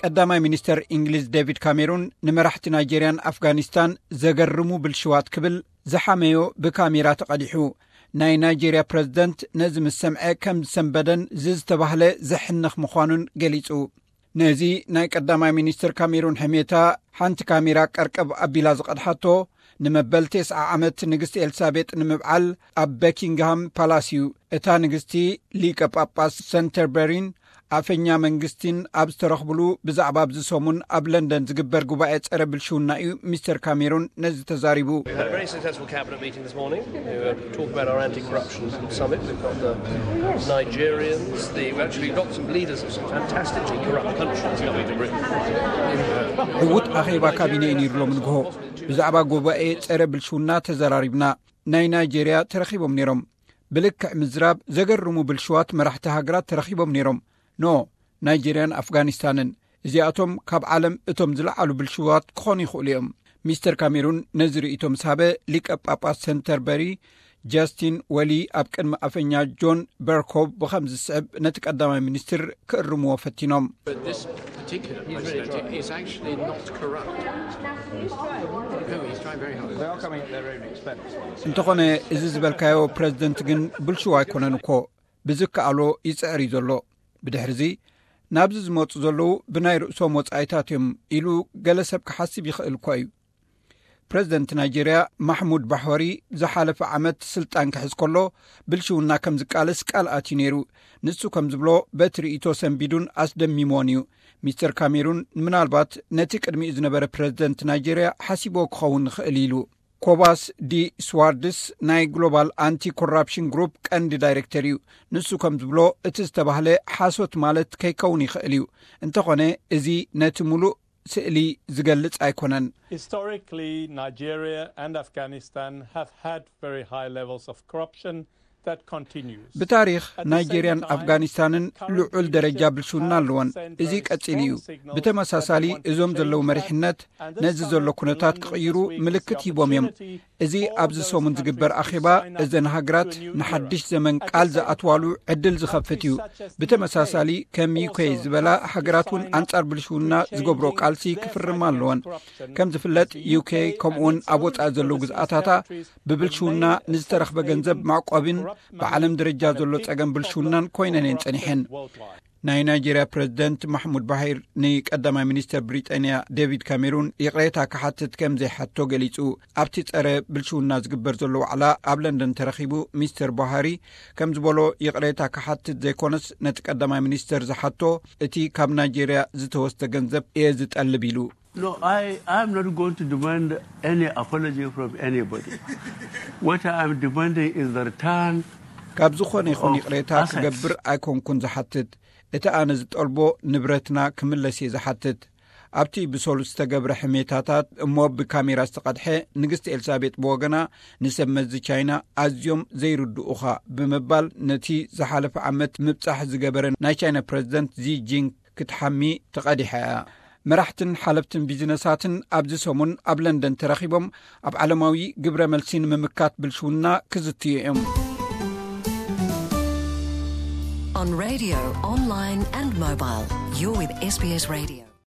ቀዳማይ ሚኒስተር እንግሊዝ ዴቪድ ካሜሩን ንመራሕቲ ናይጄርያን ኣፍጋኒስታን ዘገርሙ ብልሽዋት ክብል ዝሓመዮ ብካሜራ ተቐዲሑ። ናይ ናይጄርያ ፕረዚደንት ነዚ ምስ ሰምዐ ከም ዝሰንበደን ዝዝተባህለ ዘሕንኽ ምዃኑን ገሊጹ። ነዚ ናይ ቀዳማይ ሚኒስትር ካሜሩን ሕሜታ ሓንቲ ካሜራ ቀርቀብ ኣቢላ ዝቐድሓቶ፣ ንመበል ተስዓ ዓመት ንግስቲ ኤልሳቤጥ ንምብዓል ኣብ በኪንግሃም ፓላስ እዩ። እታ ንግስቲ ሊቀ ጳጳስ ሰንተርበሪን ኣፈኛ መንግስቲን ኣብ ዝተረኽብሉ ብዛዕባ ኣብዚ ሰሙን ኣብ ለንደን ዝግበር ጉባኤ ጸረ ብልሽውና እዩ ሚስተር ካሜሩን ነዚ ተዛሪቡ። Had a very successful cabinet meeting this morning. We were talking about our anti-corruption summit. We've got the Nigerians, the, we've actually got some leaders of some fantastically corrupt countries coming to Britain. ዕዉት ኣኼባ ካቢነ እዩ ነይሩ ሎም ንግሆ። ብዛዕባ ጉባኤ ጸረ ብልሽውና ተዘራሪብና። ናይ ናይጄርያ ተረኺቦም ነይሮም። ብልክዕ ምዝራብ ዘገርሙ ብልሽዋት መራሕቲ ሃገራት ተረኺቦም ነይሮም። ኖ ናይጄርያን ኣፍጋኒስታንን እዚኣቶም ካብ ዓለም እቶም ዝለዓሉ ብልሽዋት ክኾኑ ይኽእሉ እዮም። ሚስተር ካሜሩን ነዚ ርእይቶ ምስ ሃበ፣ ሊቀ ጳጳስ ሰንተርበሪ ጃስቲን ወሊ ኣብ ቅድሚ ኣፈኛ ጆን በርኮ ብኸም ዝስዕብ ነቲ ቀዳማይ ሚኒስትር ክእርምዎ ፈቲኖም። But this particular president is actually not corrupt. No, he's trying very hard. እንተኾነ እዚ ዝበልካዮ ፕረዚደንት ግን ብልሽው ኣይኮነን እኮ፣ ብዝከኣሎ ይጽዕር እዩ ዘሎ። ብድሕርዚ ናብዚ ዝመጹ ዘለዉ ብናይ ርእሶም ወጻኢታት እዮም ኢሉ ገለ ሰብ ክሓስብ ይኽእል እኳ እዩ። ፕረዚደንት ናይጄርያ ማሕሙድ ባሕወሪ ዝሓለፈ ዓመት ስልጣን ክሕዝ ከሎ ብልሽውና ከም ዝቃለስ ቃል ኣትዩ ነይሩ። ንሱ ከም ዝብሎ በቲ ርእይቶ ሰንቢዱን ኣስደሚሞን እዩ። ሚስተር ካሜሩን ምናልባት ነቲ ቅድሚኡ ዝነበረ ፕረዚደንት ናይጄርያ ሓሲቦ ክኸውን ይኽእል ኢሉ። ኮባስ ዲ ስዋርድስ ናይ ግሎባል ኣንቲ ኮራፕሽን ግሩፕ ቀንዲ ዳይሬክተር እዩ። ንሱ ከም ዝብሎ እቲ ዝተባህለ ሓሶት ማለት ከይከውን ይኽእል እዩ። እንተኾነ እዚ ነቲ ሙሉእ ስእሊ ዝገልጽ ኣይኮነን። Historically, Nigeria and Afghanistan have had very high levels of corruption that continues. ብታሪኽ ናይጄርያን ኣፍጋኒስታንን ልዑል ደረጃ ብልሽውና ኣለወን። እዚ ቀጺሉ እዩ። ብተመሳሳሊ እዞም ዘለዉ መሪሕነት ነዚ ዘሎ ኩነታት ክቕይሩ ምልክት ሂቦም እዮም። እዚ ኣብዚ ሰሙን ዝግበር ኣኼባ እዘን ሃገራት ንሓድሽ ዘመን ቃል ዝኣትዋሉ ዕድል ዝኸፍት እዩ። ብተመሳሳሊ ከም ዩኬ ዝበላ ሃገራት እውን ኣንጻር ብልሽውና ዝገብሮ ቃልሲ ክፍርማ ኣለወን። ከም ዝፍለጥ ዩኬ ከምኡውን ኣብ ወጻኢ ዘለዉ ግዝኣታታ ብብልሽውና ንዝተረኽበ ገንዘብ መዕቆብን ብዓለም ደረጃ ዘሎ ጸገም ብልሽውናን ኮይነን እየን ጸኒሐን። ናይ ናይጄርያ ፕረዚደንት ማሕሙድ ባሂር ንቀዳማይ ሚኒስተር ብሪጣንያ ዴቪድ ካሜሩን ይቕሬታ ክሓትት ከም ዘይሓቶ ገሊጹ። ኣብቲ ጸረ ብልሽውና ዝግበር ዘሎ ዋዕላ ኣብ ለንደን ተረኺቡ ሚስተር ቡሃሪ ከም ዝበሎ ይቕሬታ ክሓትት ዘይኮነስ ነቲ ቀዳማይ ሚኒስተር ዝሓቶ እቲ ካብ ናይጄርያ ዝተወስደ ገንዘብ እየ ዝጠልብ ኢሉ። No, I am not going to demand any apology from anybody. What I am demanding is the return ካብ ዝኾነ ይኹን ይቕሬታ ክገብር ኣይኮንኩን ዝሓትት። እቲ ኣነ ዝጠልቦ ንብረትና ክምለስ እየ ዝሓትት። ኣብቲ ብሰሉስ ዝተገብረ ሕሜታታት እሞ ብካሜራ ዝተቐድሐ ንግስቲ ኤልሳቤጥ ብወገና ንሰብ መዚ ቻይና ኣዝዮም ዘይርድኡኻ ብምባል ነቲ ዝሓለፈ ዓመት ምብጻሕ ዝገበረ ናይ ቻይና ፕረዚደንት ዚ ጂን ክትሓሚ ተቐዲሐ እያ። መራሕትን ሓለፍትን ቢዝነሳትን ኣብዚ ሰሙን ኣብ ለንደን ተረኺቦም ኣብ ዓለማዊ ግብረ መልሲ ንምምካት ብልሽውና ክዝትዩ እዮም። On radio, online and mobile, you're with S B S Radio.